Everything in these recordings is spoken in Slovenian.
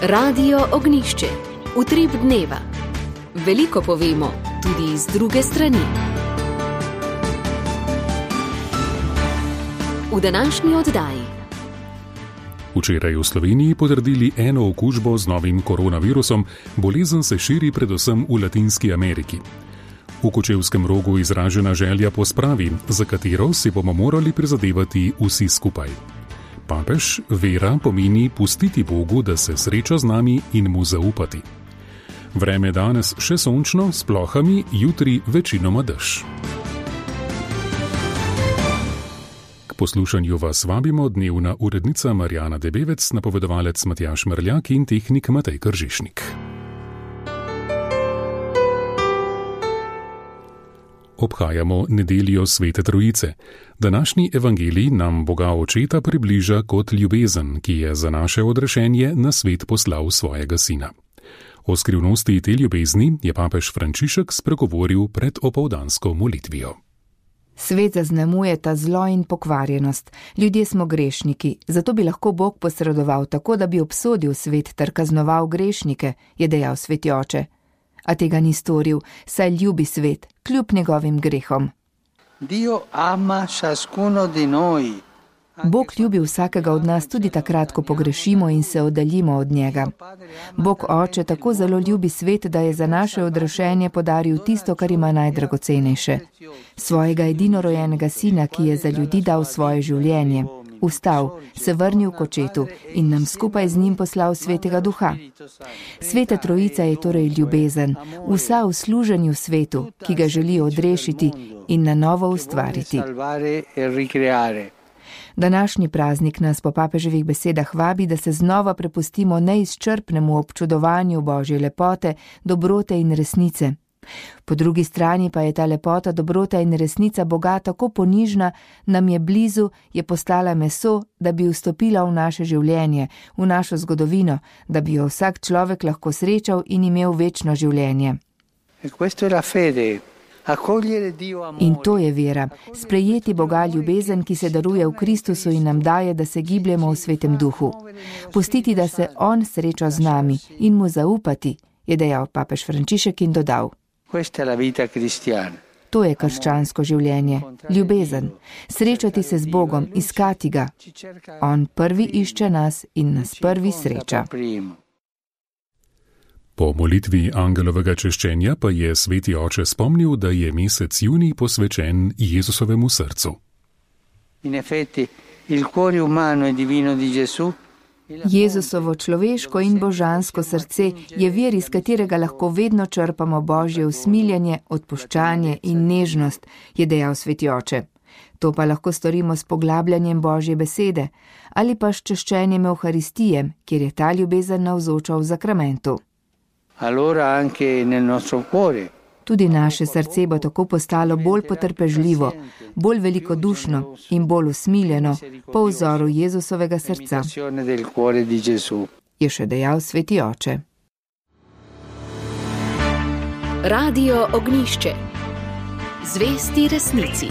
Radio Ognjišče. Utrip dneva. Veliko povemo, tudi iz druge strani. V današnji oddaji. Včeraj v Sloveniji potrdili eno okužbo z novim koronavirusom, bolezen se širi predvsem v Latinski Ameriki. V Kočevskem Rogu izražena želja po spravi, za katero si bomo morali prizadevati vsi skupaj. Papež, vera pomeni pustiti Bogu, da se sreča z nami in mu zaupati. Vreme danes še sončno, s plohami, jutri večinoma dež. K poslušanju vas vabimo dnevna urednica Marjana Debevec, napovedovalec Matjaž Mrljak in tehnik Matej Kržišnik. Obhajamo nedeljo Svete Trojice. Današnji evangelij nam Boga Očeta približa kot ljubezen, ki je za naše odrešenje na svet poslal svojega sina. O skrivnosti te ljubezni je papež Frančišek spregovoril pred opoldansko molitvijo. Svet zaznamujeta zlo in pokvarjenost. Ljudje smo grešniki, zato bi lahko Bog posredoval tako, da bi obsodil svet ter kaznoval grešnike, je dejal sveti oče. A tega ni storil, saj ljubi svet, kljub njegovim grehom. Bog ljubi vsakega od nas tudi takrat, ko pogrešimo in se oddaljimo od njega. Bog Oče tako zelo ljubi svet, da je za naše odrešenje podaril tisto, kar ima najdragocenejše. Svojega edinorojenega sina, ki je za ljudi dal svoje življenje. Vstal, se vrnil k Očetu in nam skupaj z njim poslal Svetega Duha. Sveta Trojica je torej ljubezen, vsa v služenju svetu, ki ga želi odrešiti in na novo ustvariti. Današnji praznik nas po papeževih besedah vabi, da se znova prepustimo neizčrpnemu občudovanju Božje lepote, dobrote in resnice. Po drugi strani pa je ta lepota, dobrota in resnica Boga tako ponižna, nam je blizu, je postala meso, da bi vstopila v naše življenje, v našo zgodovino, da bi jo vsak človek lahko srečal in imel večno življenje. In to je vera, sprejeti Boga ljubezen, ki se daruje v Kristusu in nam daje, da se gibljemo v Svetem Duhu. Pustiti, da se On sreča z nami in mu zaupati, je dejal papež Frančišek in dodal. To je krščansko življenje, ljubezen, srečati se z Bogom, iskati ga. On prvi išče nas in nas prvi sreča. Po molitvi angelovega češčenja pa je sveti oče spomnil, da je mesec junij posvečen Jezusovemu srcu. Jezusovo človeško in božansko srce je vir, iz katerega lahko vedno črpamo Božje usmiljenje, odpuščanje in nežnost, je dejal sveti oče. To pa lahko storimo s poglabljanjem Božje besede ali pa s češčenjem Evharistije, kjer je ta ljubezen navzoča v zakramentu. Tudi naše srce bo tako postalo bolj potrpežljivo, bolj velikodušno in bolj usmiljeno po vzoru Jezusovega srca, je še dejal sveti oče. Radio Ognjišče. Zvesti resnici.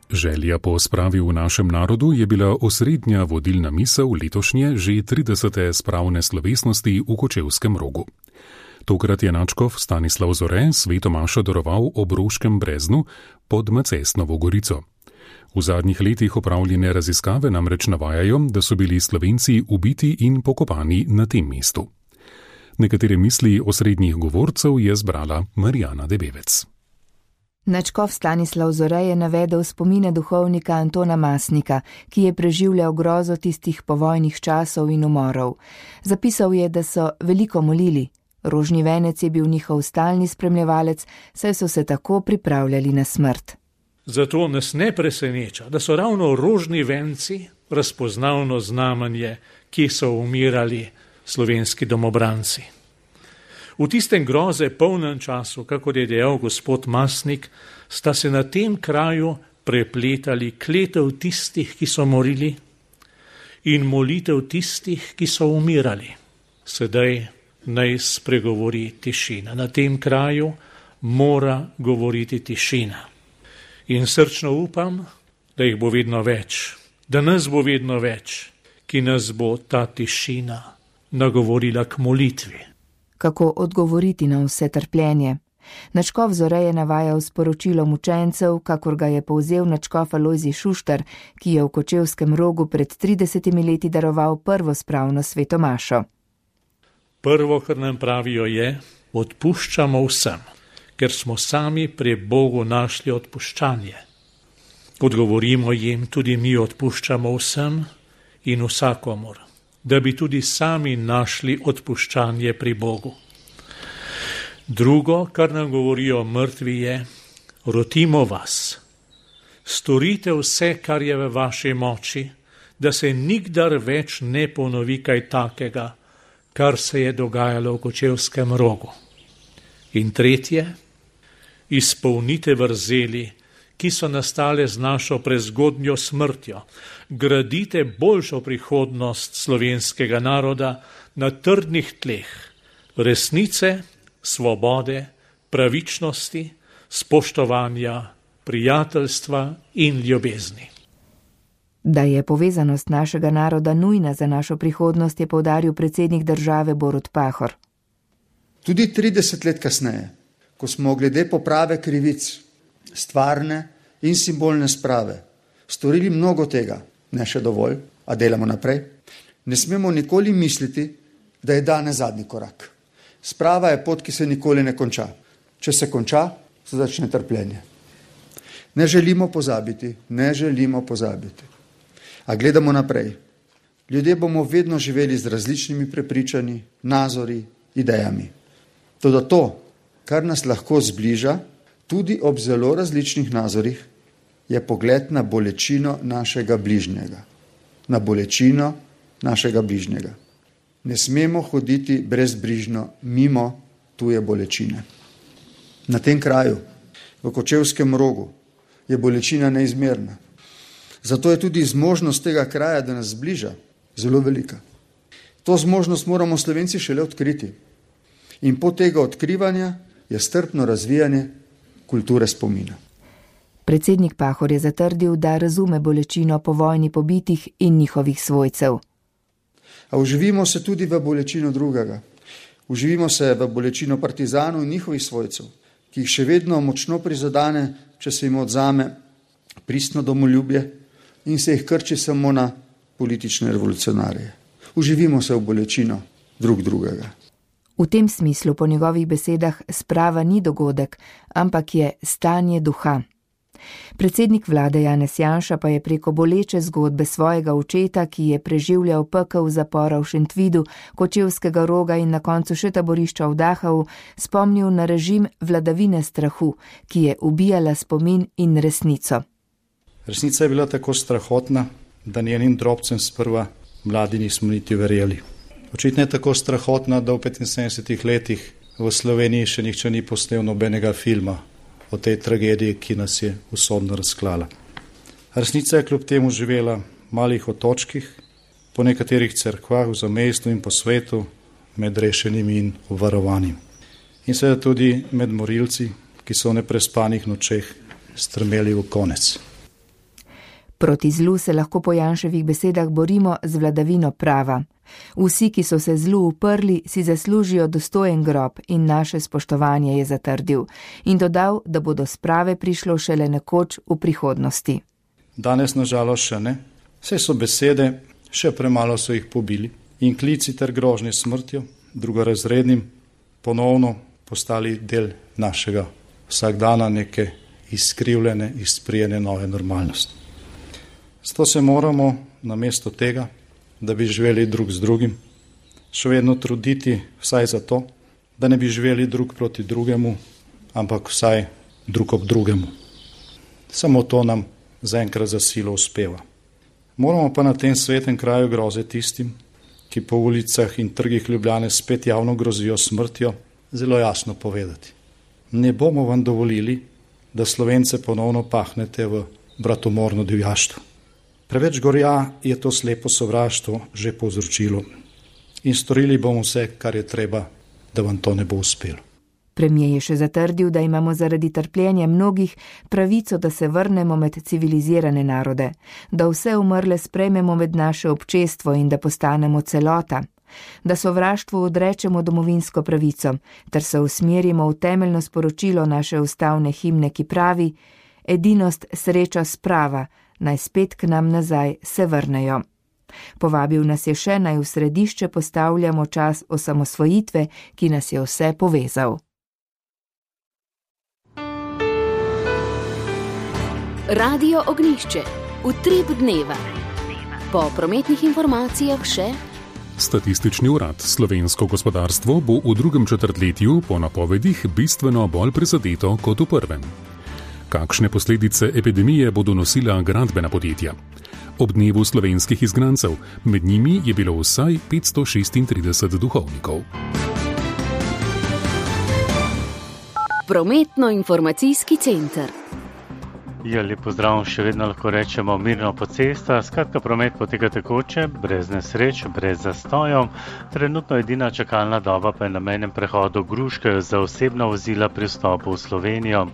Želja po spravi v našem narodu je bila osrednja vodilna misel letošnje že 30. spravne slovesnosti v Kočevskem Rogu. Tokrat je nadškof Stanislav Zore sveto mašo daroval ob Roškem breznu pod Macesnovo gorico. V zadnjih letih opravljene raziskave namreč navajajo, da so bili Slovenci ubiti in pokopani na tem mestu. Nekatere misli osrednjih govorcev je zbrala Marjana Debevec. Nadškof Stanislav Zore je navedel spomine duhovnika Antona Masnika, ki je preživljal grozo tistih povojnih časov in umorov. Zapisal je, da so veliko molili. Rožni venec je bil njihov stalni spremljevalec, saj so se tako pripravljali na smrt. Zato nas ne preseneča, da so ravno rožni venci razpoznavno znamenje, ki so umirali slovenski domobranci. V tistem groze polnem času, kakor je dejal gospod Masnik, sta se na tem kraju prepletali kletev tistih, ki so morili, in molitev tistih, ki so umirali. Sedaj naj spregovori tišina. Na tem kraju mora govoriti tišina. In srčno upam, da jih bo vedno več, da nas bo vedno več, ki nas bo ta tišina nagovorila k molitvi. Kako odgovoriti na vse trpljenje? Nadškof Zore je navajal sporočilom učencev, kakor ga je povzel nadškof Alojzij Šuštar, ki je v Kočevskem Rogu pred 30 leti daroval prvo spravno sveto mašo. Prvo, kar nam pravijo, je: odpuščamo vsem, ker smo sami pri Bogu našli odpuščanje. Odgovorimo jim: tudi mi odpuščamo vsem in vsakomur, da bi tudi sami našli odpuščanje pri Bogu. Drugo, kar nam govorijo mrtvi, je: rotimo vas, storite vse, kar je v vaši moči, da se nikdar več ne ponovi kaj takega, kar se je dogajalo v Kočevskem Rogu. In tretje, izpolnite vrzeli, ki so nastale z našo prezgodnjo smrtjo, gradite boljšo prihodnost slovenskega naroda na trdnih tleh resnice, svobode, pravičnosti, spoštovanja, prijateljstva in ljubezni. Da je povezanost našega naroda nujna za našo prihodnost, je poudaril predsednik države Borut Pahor. Tudi 30 let kasneje, ko smo glede poprave krivic, stvarne in simbolne sprave, storili mnogo tega, ne še dovolj, a delamo naprej, ne smemo nikoli misliti, da je danes zadnji korak. Sprava je pot, ki se nikoli ne konča. Če se konča, se začne trpljenje. Ne želimo pozabiti. A gledamo naprej. Ljudje bomo vedno živeli z različnimi prepričanji, nazori, idejami. Toda to, kar nas lahko zbliža, tudi ob zelo različnih nazorih, je pogled na bolečino našega bližnjega. Ne smemo hoditi brezbrižno mimo tuje bolečine. Na tem kraju, v Kočevskem Rogu, je bolečina neizmerna. Zato je tudi zmožnost tega kraja, da nas zbliža, zelo velika. To zmožnost moramo Slovenci šele odkriti. In pot tega odkrivanja je strpno razvijanje kulture spomina. Predsednik Pahor je zatrdil, da razume bolečino po vojni pobitih in njihovih svojcev. A uživimo se tudi v bolečino drugega. Uživimo se v bolečino partizanov in njihovih svojcev, ki jih še vedno močno prizadane, če se jim odzame pristno domoljubje in se jih krči samo na politične revolucionarje. Uživimo se v bolečino drugega. V tem smislu po njegovih besedah sprava ni dogodek, ampak je stanje duha. Predsednik vlade Janez Janša pa je preko boleče zgodbe svojega očeta, ki je preživljal pekel zapora v Šentvidu, Kočevskega Roga in na koncu še taborišča v Dachavu, spomnil na režim vladavine strahu, ki je ubijala spomin in resnico. Resnica je bila tako strahotna, da njenim drobcem sprva mladi nismo niti verjeli. Očitno je tako strahotna, da v 75 letih v Sloveniji še nihče ni posnel nobenega filma o tej tragediji, ki nas je usodno razklala. Resnica je kljub temu živela v malih otočkih, po nekaterih cerkvah v zamejstvu in po svetu, med rešenimi in obvarovanimi. In seveda tudi med morilci, ki so v neprespanih nočeh strmeli v konec. Proti zlu se lahko po Janševih besedah borimo z vladavino prava. Vsi, ki so se zlu uprli, si zaslužijo dostojen grob in naše spoštovanje, je zatrdil in dodal, da bo do sprave prišlo šele nekoč v prihodnosti. Danes nažalost še ne, vse so besede, še premalo so jih pobili in klici ter grožnje smrtjo, drugorazrednim, ponovno postali del našega vsakdana, neke izkrivljene, izprijene nove normalnosti. Zato se moramo namesto tega, da bi živeli drug z drugim, še vedno truditi vsaj za to, da ne bi živeli drug proti drugemu, ampak vsaj drug ob drugemu. Samo to nam zaenkrat za silo uspeva. Moramo pa na tem svetem kraju groze tistim, ki po ulicah in trgih Ljubljane spet javno grozijo smrtjo, zelo jasno povedati. Ne bomo vam dovolili, da Slovence ponovno pahnete v bratomorno divjaštvo. Preveč gorja je to slepo sovraštvo že povzročilo in storili bomo vse, kar je treba, da vam to ne bo uspelo. Premier je še zatrdil, da imamo zaradi trpljenja mnogih pravico, da se vrnemo med civilizirane narode, da vse umrle sprejmemo med naše občestvo in da postanemo celota, da sovraštvu odrečemo domovinsko pravico, ter se usmerimo v temeljno sporočilo naše ustavne himne, ki pravi: edinost, sreča, sprava, naj spet k nam nazaj se vrnejo. Povabil nas je še, naj v središče postavljamo čas osamosvojitve, ki nas je vse povezal. Radio Ognjišče, utrip dneva. Po prometnih informacijah še: Statistični urad. Slovensko gospodarstvo bo v drugem četrtletju po napovedih bistveno bolj prizadeto kot v prvem. Kakšne posledice epidemije bodo nosila gradbena podjetja? Ob dnevu slovenskih izgnancev, med njimi je bilo vsaj 536 duhovnikov. Prometno-informacijski center. Ja, lep pozdrav, še vedno lahko rečemo mirno po cestah, skratka promet poteka tekoče, brez nesreč, brez zastojev. Trenutno edina čakalna doba pa je na mejnem prehodu Gruške za osebna vozila pri vstopu v Slovenijo.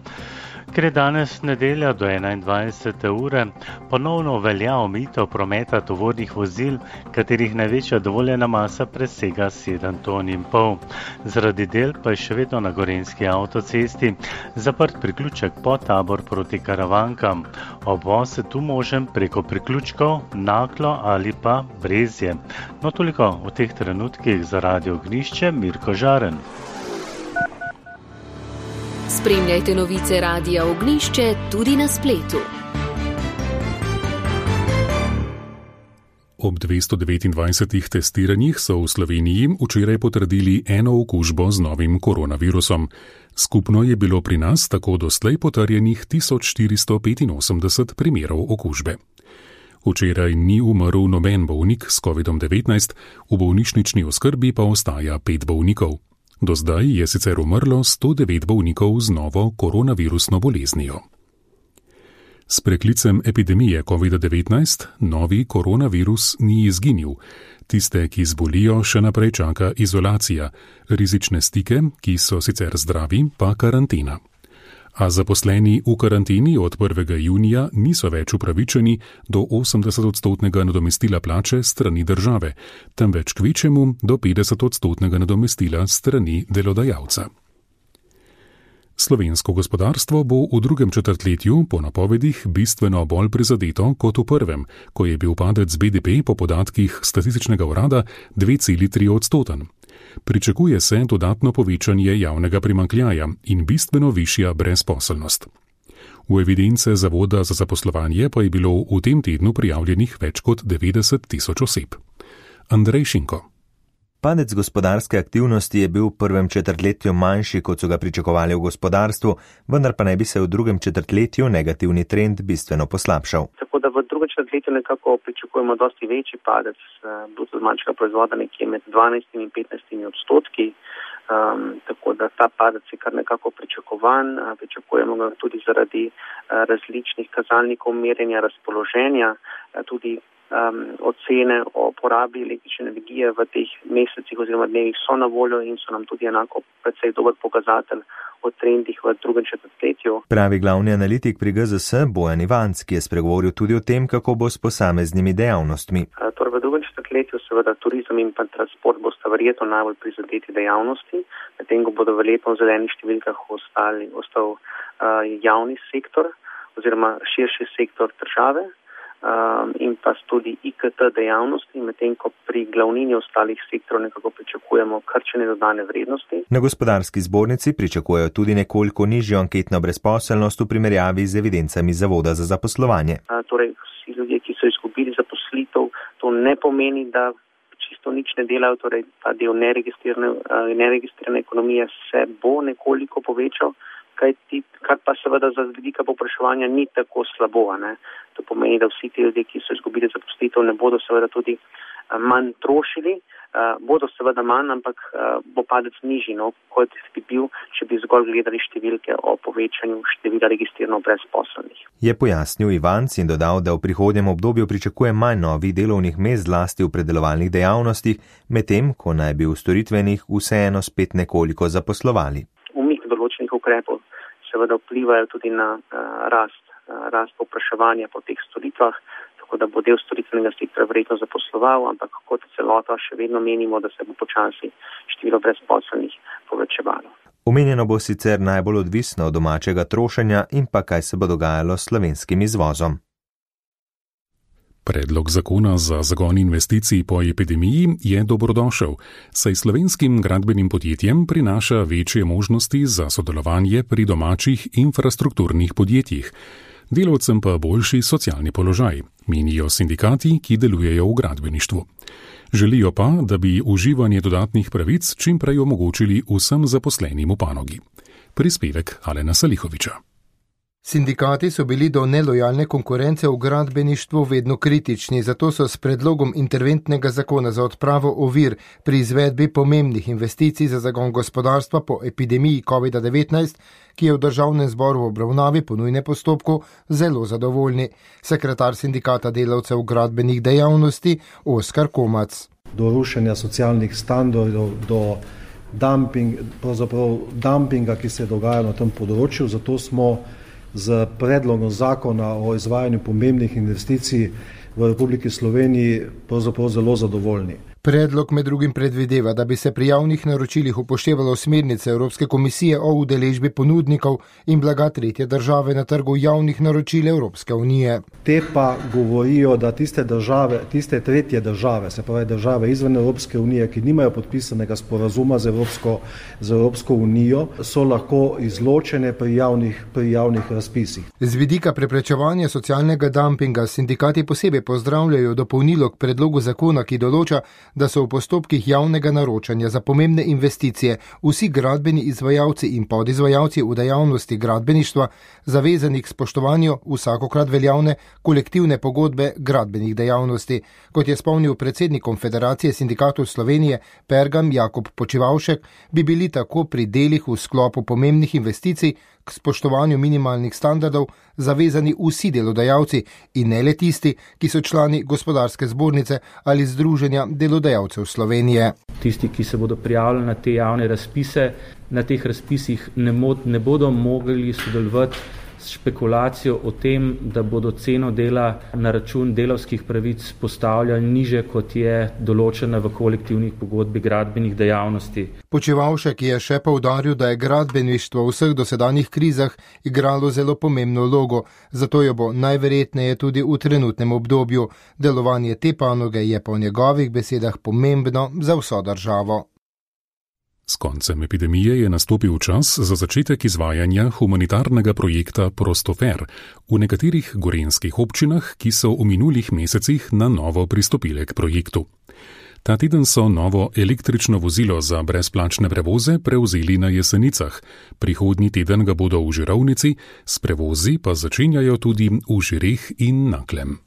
Ker je danes nedelja do 21. ure, ponovno velja omejitev prometa tovornih vozil, katerih največja dovoljena masa presega 7,5 ton. Zaradi del pa je še vedno na Gorenjski avtocesti zaprt priključek Podtabor proti Karavankam. Obvoz je tu možen preko priključkov Naklo ali pa Brezje. No, toliko v teh trenutkih za Radio Ognjišče, Mirko Žaren. Spremljajte novice Radia Ognjišče tudi na spletu. Ob 229 testiranjih so v Sloveniji včeraj potrdili eno okužbo z novim koronavirusom. Skupno je bilo pri nas tako doslej potrjenih 1485 primerov okužbe. Včeraj ni umrl noben bolnik s COVID-19, v bolnišnični oskrbi pa ostaja 5 bolnikov. Do zdaj je sicer umrlo 109 bolnikov z novo koronavirusno boleznijo. S preklicem epidemije COVID-19 novi koronavirus ni izginil. Tiste, ki zbolijo, še naprej čaka izolacija, rizične stike, ki so sicer zdravi, pa karantena. A zaposleni v karanteni od 1. junija niso več upravičeni do 80% nadomestila plače strani države, temveč kvečjemu do 50% nadomestila strani delodajalca. Slovensko gospodarstvo bo v drugem četrtletju po napovedih bistveno bolj prizadeto kot v prvem, ko je bil padec BDP po podatkih Statističnega urada 2,3%. Pričakuje se dodatno povečanje javnega primanjkljaja in bistveno višja brezposelnost. V evidence Zavoda za zaposlovanje pa je bilo v tem tednu prijavljenih več kot 90 tisoč oseb. Andrej Šinko. Padec gospodarske aktivnosti je bil v prvem četrtletju manjši, kot so ga pričakovali v gospodarstvu, vendar pa naj bi se v drugem četrtletju negativni trend bistveno poslabšal. Tako da v drugem četrtletju nekako pričakujemo dosti večji padec bruto domačega proizvoda, nekje med 12 in 15%. Tako da ta padec je kar nekako pričakovan. Pričakujemo ga tudi zaradi različnih kazalnikov merjenja razpoloženja, tudi ocene o porabi električne energije v teh mesecih oziroma dnevih so na voljo in so nam tudi enako precej dober pokazatelj o trendih v drugem četrtletju. Pravi glavni analitik pri GZS Bojan Ivanc, ki je spregovoril tudi o tem, kako bo s posameznimi dejavnostmi. Torej v drugem četrtletju seveda turizem in pa transport bosta verjetno najbolj prizadeti dejavnosti, medtem ko bodo verjetno v zelenih številkah ostal javni sektor oziroma širši sektor države. In pa tudi IKT dejavnosti, medtem ko pri glavnini ostalih sektorov nekako pričakujemo krčenje dodane vrednosti. Na gospodarski zbornici pričakujejo tudi nekoliko nižjo anketno brezposelnost v primerjavi z evidencami Zavoda za zaposlovanje. Torej vsi ljudje, ki so izgubili zaposlitev, to ne pomeni, da čisto nič ne delajo, torej ta del neregistrirane ekonomije se bo nekoliko povečal, kar pa seveda za vidika povpraševanja ni tako slabo. To pomeni, da vsi ti ljudje, ki so izgubili zaposlitev, ne bodo seveda tudi manj trošili, bodo seveda manj, ampak bo padec nižji, kot bi bil, če bi zgolj gledali številke o povečanju števila registrirano brezposelnih. Je pojasnil Ivanc in dodal, da v prihodnjem obdobju pričakuje manj novih delovnih mest zlasti v predelovalnih dejavnostih, medtem ko naj bi v storitvenih vseeno spet nekoliko zaposlovali. Umik določenih ukrepov seveda vplivajo tudi na rast povpraševanja po teh storitvah, tako da bo del storitvenega sektorja verjetno zaposloval, ampak kot celota še vedno menimo, da se bo počasi število brezposelnih povečevalo. Omenjeno bo sicer najbolj odvisno od domačega trošenja in pa kaj se bo dogajalo s slovenskim izvozom. Predlog zakona za zagon investicij po epidemiji je dobrodošel, saj slovenskim gradbenim podjetjem prinaša večje možnosti za sodelovanje pri domačih infrastrukturnih podjetjih, delavcem pa boljši socialni položaj, menijo sindikati, ki delujejo v gradbeništvu. Želijo pa, da bi uživanje dodatnih pravic čim prej omogočili vsem zaposlenim v panogi. Prispevek Alena Salihoviča. Sindikati so bili do nelojalne konkurence v gradbeništvu vedno kritični, zato so s predlogom interventnega zakona za odpravo ovir pri izvedbi pomembnih investicij za zagon gospodarstva po epidemiji COVID-19, ki je v državnem zboru v obravnavi po nujnem postopku, zelo zadovoljni. Sekretar sindikata delavcev gradbenih dejavnosti Oskar Komac. Do rušenja socialnih standardov, do dumpinga, ki se dogaja na tem področju, zato smo z predlogom zakona o izvajanju pomembnih investicij v Republiki Sloveniji pravzaprav zelo zadovoljni. Predlog med drugim predvideva, da bi se pri javnih naročilih upoštevalo smernice Evropske komisije o udeležbi ponudnikov in blaga tretje države na trgu javnih naročil Evropske unije. Te pa govorijo, da tiste tretje države, se pravi države izven Evropske unije, ki nimajo podpisanega sporazuma z Evropsko unijo, so lahko izločene pri javnih razpisih. Z vidika preprečevanja socialnega dumpinga sindikati posebej pozdravljajo dopolnilo k predlogu zakona, ki določa, da so v postopkih javnega naročanja za pomembne investicije vsi gradbeni izvajalci in podizvajalci v dejavnosti gradbeništva zavezani k spoštovanju vsakokrat veljavne kolektivne pogodbe gradbenih dejavnosti. Kot je spomnil predsednik Konfederacije sindikatov Slovenije Pergam Jakob Počivavšek, bi bili tako pri delih v sklopu pomembnih investicij k spoštovanju minimalnih standardov zavezani vsi delodajalci in ne le tisti, ki so člani gospodarske zbornice ali združenja delodajalcev Slovenije. Tisti, ki se bodo prijavili na te javne razpise, na teh razpisih ne bodo mogli sodelovati s špekulacijo o tem, da bodo ceno dela na račun delavskih pravic postavljali niže, kot je določena v kolektivnih pogodbi gradbenih dejavnosti. Počivavšek je še poudaril, da je gradbeništvo v vseh dosedanjih krizah igralo zelo pomembno vlogo, zato jo bo najverjetneje tudi v trenutnem obdobju. Delovanje te panoge je po njegovih besedah pomembno za vso državo. S koncem epidemije je nastopil čas za začetek izvajanja humanitarnega projekta Prostofer v nekaterih gorenjskih občinah, ki so v minulih mesecih na novo pristopile k projektu. Ta teden so novo električno vozilo za brezplačne prevoze prevzeli na Jesenicah, prihodnji teden ga bodo v Žirovnici, s prevozi pa začenjajo tudi v Žireh in Naklem.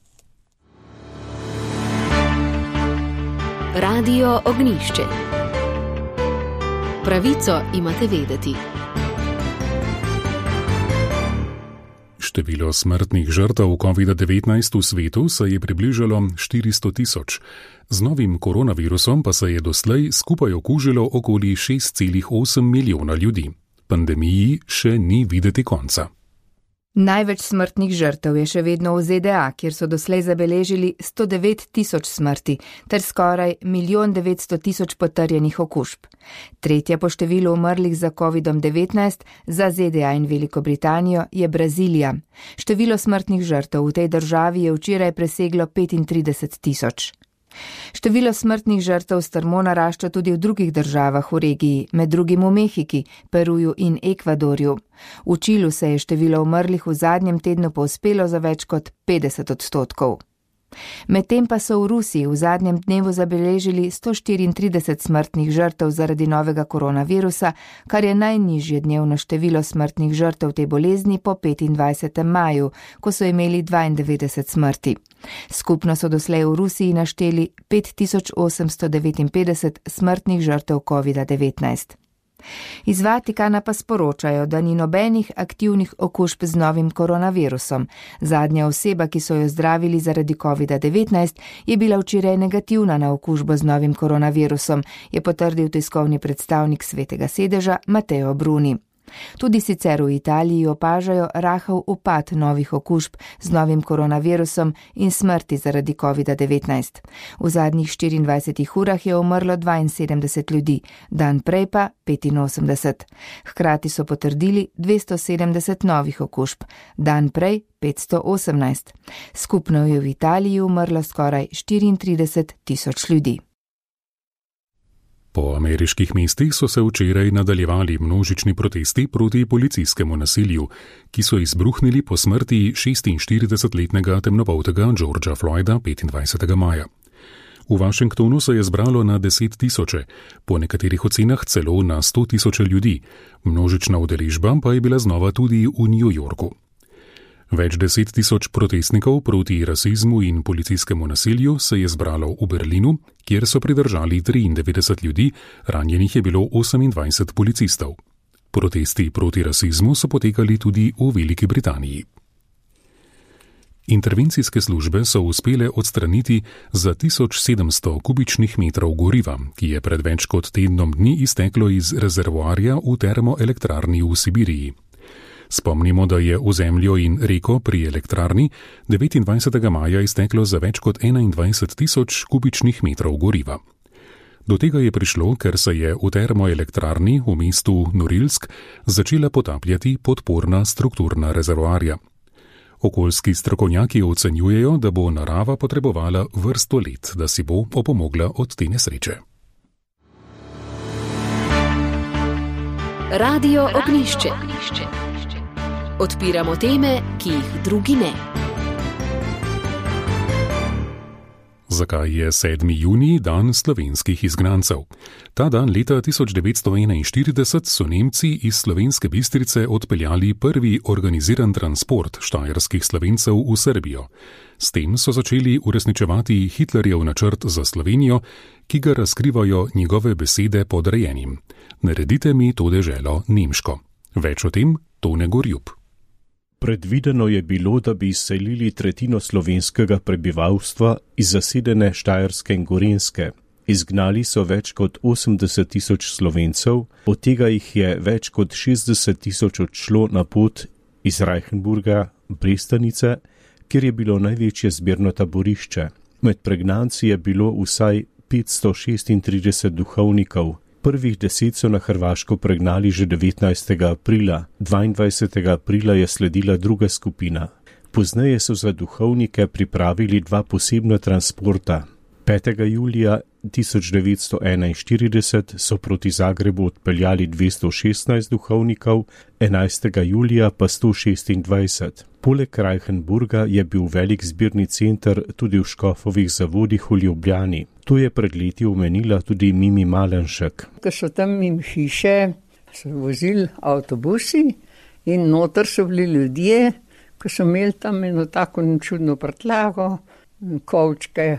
Radio Ognjišče. Pravico imate vedeti. Število smrtnih žrtev COVID-19 v svetu se je približalo 400 000. Z novim koronavirusom pa se je doslej skupaj okužilo okoli 6,8 milijona ljudi. Pandemiji še ni videti konca. Največ smrtnih žrtev je še vedno v ZDA, kjer so doslej zabeležili 109 000 smrti ter skoraj 1 900 000 potrjenih okužb. Tretja po številu umrlih za COVID-19 za ZDA in Veliko Britanijo je Brazilija. Število smrtnih žrtev v tej državi je včeraj preseglo 35 000. Število smrtnih žrtev strmo narašča tudi v drugih državah v regiji, med drugim v Mehiki, Peruju in Ekvadorju. V Čilu se je število umrlih v zadnjem tednu povzpelo za več kot 50%. Medtem pa so v Rusiji v zadnjem dnevu zabeležili 134 smrtnih žrtev zaradi novega koronavirusa, kar je najnižje dnevno število smrtnih žrtev te bolezni po 25. maju, ko so imeli 92 smrti. Skupno so doslej v Rusiji našteli 5859 smrtnih žrtev COVID-19. Iz Vatikana pa sporočajo, da ni nobenih aktivnih okužb z novim koronavirusom. Zadnja oseba, ki so jo zdravili zaradi COVID-19, je bila včeraj negativna na okužbo z novim koronavirusom, je potrdil tiskovni predstavnik Svetega sedeža Matteo Bruni. Tudi sicer v Italiji opažajo rahel upad novih okužb z novim koronavirusom in smrti zaradi COVID-19. V zadnjih 24 urah je umrlo 72 ljudi, dan prej pa 85. Hkrati so potrdili 270 novih okužb, dan prej 518. Skupno je v Italiji umrlo skoraj 34 tisoč ljudi. Po ameriških mestih so se včeraj nadaljevali množični protesti proti policijskemu nasilju, ki so izbruhnili po smrti 46-letnega temnopoltega Georgea Floyda 25. maja. V Washingtonu se je zbralo na 10 tisoče, po nekaterih ocenah celo na 100 tisoče ljudi, množična udeležba pa je bila znova tudi v New Yorku. Več 10 tisoč protestnikov proti rasizmu in policijskemu nasilju se je zbralo v Berlinu, kjer so pridržali 93 ljudi, ranjenih je bilo 28 policistov. Protesti proti rasizmu so potekali tudi v Veliki Britaniji. Intervencijske službe so uspele odstraniti za 1700 kubičnih metrov goriva, ki je pred več kot tednom dni izteklo iz rezervoarja v termoelektrarni v Sibiriji. Spomnimo, da je v zemljo in reko pri elektrarni 29. maja izteklo za več kot 21 tisoč kubičnih metrov goriva. Do tega je prišlo, ker se je v termoelektrarni v mestu Norilsk začela potapljati podporna strukturna rezervoarja. Okoljski strokovnjaki ocenjujejo, da bo narava potrebovala vrsto let, da si bo opomogla od te nesreče. Radio Ognjišče. Odpiramo teme, ki jih drugi ne. Zakaj je 7. junij dan slovenskih izgnancev? Ta dan leta 1941 so Nemci iz Slovenske Bistrice odpeljali prvi organiziran transport štajerskih Slovencev v Srbijo. S tem so začeli uresničevati Hitlerjev načrt za Slovenijo, ki ga razkrivajo njegove besede podrejenim. Naredite mi to deželo nemško. Več o tem Tone Gorjup. Predvideno je bilo, da bi izselili tretjino slovenskega prebivalstva iz zasedene Štajerske in Gorenjske. Izgnali so več kot 80 tisoč Slovencev, od tega jih je več kot 60 tisoč odšlo na pot iz Reichenburga, Brestanice, kjer je bilo največje zbirno taborišče. Med pregnanci je bilo vsaj 536 duhovnikov. Prvih 10 so na Hrvaško pregnali že 19. aprila, 22. aprila je sledila druga skupina. Pozneje so za duhovnike pripravili 2 posebna transporta. 5. julija 1941 so proti Zagrebu odpeljali 216 duhovnikov, 11. julija pa 126. Poleg Reichenburga je bil velik zbirni center tudi v Škofovih zavodih v Ljubljani. To je pred leti omenila tudi Mimi Malenšek. Ko so tam im hiše, so vozili avtobusi in noter so bili ljudje, ko so imeli tam eno tako čudno prtljago, kovčke,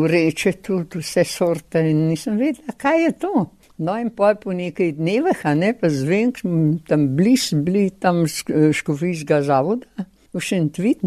vreče tudi, vse sorte in nisem vedela, kaj je to. No in po nekaj dnevih, pa zvem, tam bili tam škofijskega zavoda, v Šentvid,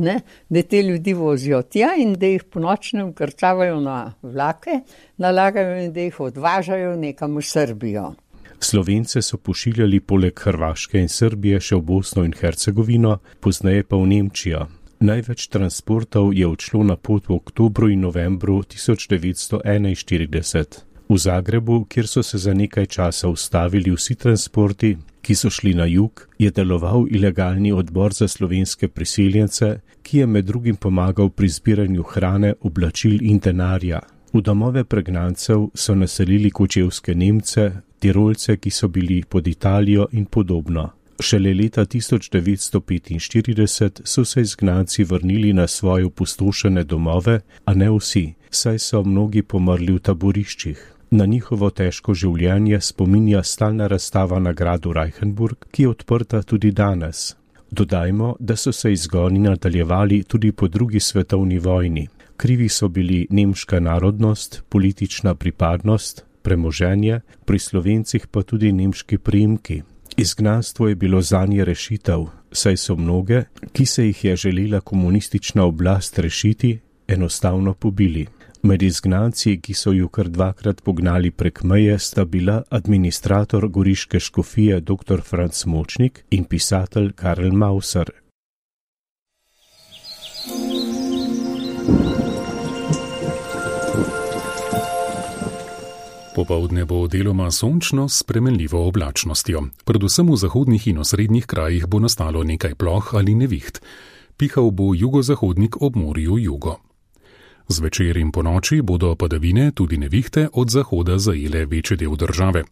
da te ljudi vozijo tja in da jih po nočnem krcavajo na vlake, nalagajo in da jih odvažajo nekam v Srbijo. Slovence so pošiljali poleg Hrvaške in Srbije še v Bosno in Hercegovino, pozneje pa v Nemčijo. Največ transportov je odšlo na pot v oktobru in novembru 1941. V Zagrebu, kjer so se za nekaj časa ustavili vsi transporti, ki so šli na jug, je deloval ilegalni odbor za slovenske priseljence, ki je med drugim pomagal pri zbiranju hrane, oblačil in denarja. V domove pregnancev so naselili kočevske Nemce, Tirolce, ki so bili pod Italijo in podobno. Šele leta 1945 so se izgnanci vrnili na svoje opustošene domove, a ne vsi, saj so mnogi pomrli v taboriščih. Na njihovo težko življenje spominja stalna razstava na gradu Reichenburg, ki je odprta tudi danes. Dodajmo, da so se izgoni nadaljevali tudi po drugi svetovni vojni. Krivi so bili nemška narodnost, politična pripadnost, premoženje, pri Slovencih pa tudi nemški priimki. Izgnanstvo je bilo zanje rešitev, saj so mnoge, ki se jih je želela komunistična oblast rešiti, enostavno pobili. Med izgnanci, ki so ju kar 2-krat pognali prek meje, sta bila administrator goriške škofije dr. Franc Močnik in pisatelj Karl Mauser. Popoldne bo deloma sončno s spremenljivo oblačnostjo. Predvsem v zahodnih in osrednjih krajih bo nastalo nekaj ploh ali neviht. Pihal bo jugozahodnik ob morju jugo. Zvečer in ponoči bodo padavine, tudi nevihte, od zahoda zajele večji del države.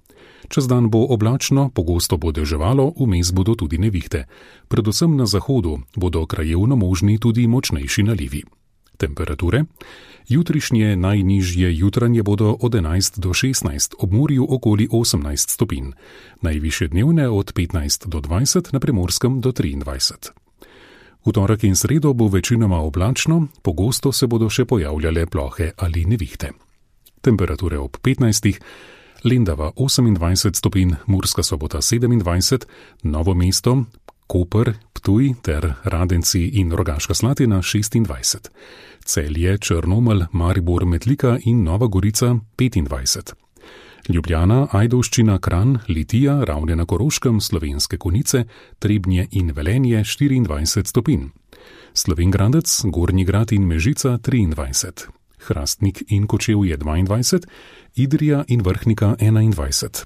Čez dan bo oblačno, pogosto bo deževalo, vmes bodo tudi nevihte. Predvsem na zahodu bodo krajevno možni tudi močnejši nalivi. Temperature? Jutrišnje najnižje jutranje bodo od 11 do 16, ob morju okoli 18 stopinj. Najvišje dnevne od 15 do 20, na Primorskem do 23. V torek in sredo bo večinoma oblačno, pogosto se bodo še pojavljale plohe ali nevihte. Temperature ob 15, Lendava 28 stopinj, Murska Sobota 27, Novo mesto, Koper, Ptuj ter Radenci in Rogaška Slatina 26. Celje, Črnomelj, Maribor, Metlika in Nova Gorica 25. Ljubljana, Ajdovščina, Kranj, Litija, Ravne na Koroškem, Slovenske Konjice, Trebnje in Velenje 24 stopinj. Slovenj Gradec, Gornji Grad in Mežica 23. Hrastnik in Kočevje 22, Idrija in Vrhnika 21.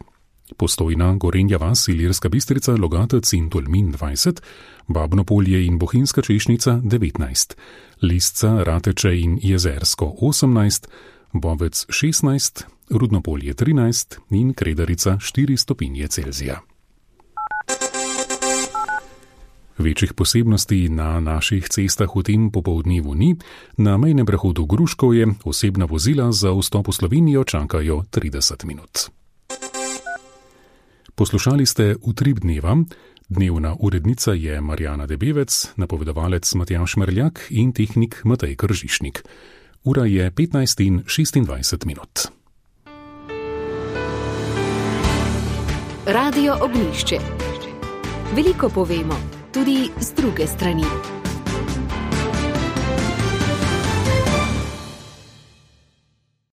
Postojna, Gorenja vas, Ilirska Bistrica, Logatec in Tolmin 20, Babnopolje in Bohinjska Češnica 19, Lisca, Rateče in Jezersko 18, Bovec 16, Rudnopolje 13 in Kredarica 4 stopinje Celzija. Večjih posebnosti na naših cestah v tem popoldnevu ni, na mejnem prehodu Gruškovje osebna vozila za vstop v Slovenijo čakajo 30 minut. Poslušali ste Utrip dneva. Dnevna urednica je Marjana Debevec, napovedovalec Matjaž Merljak in tehnik Matej Kržišnik. Ura je 15:26 minut. Radio Ognjišče. Veliko povemo, tudi z druge strani.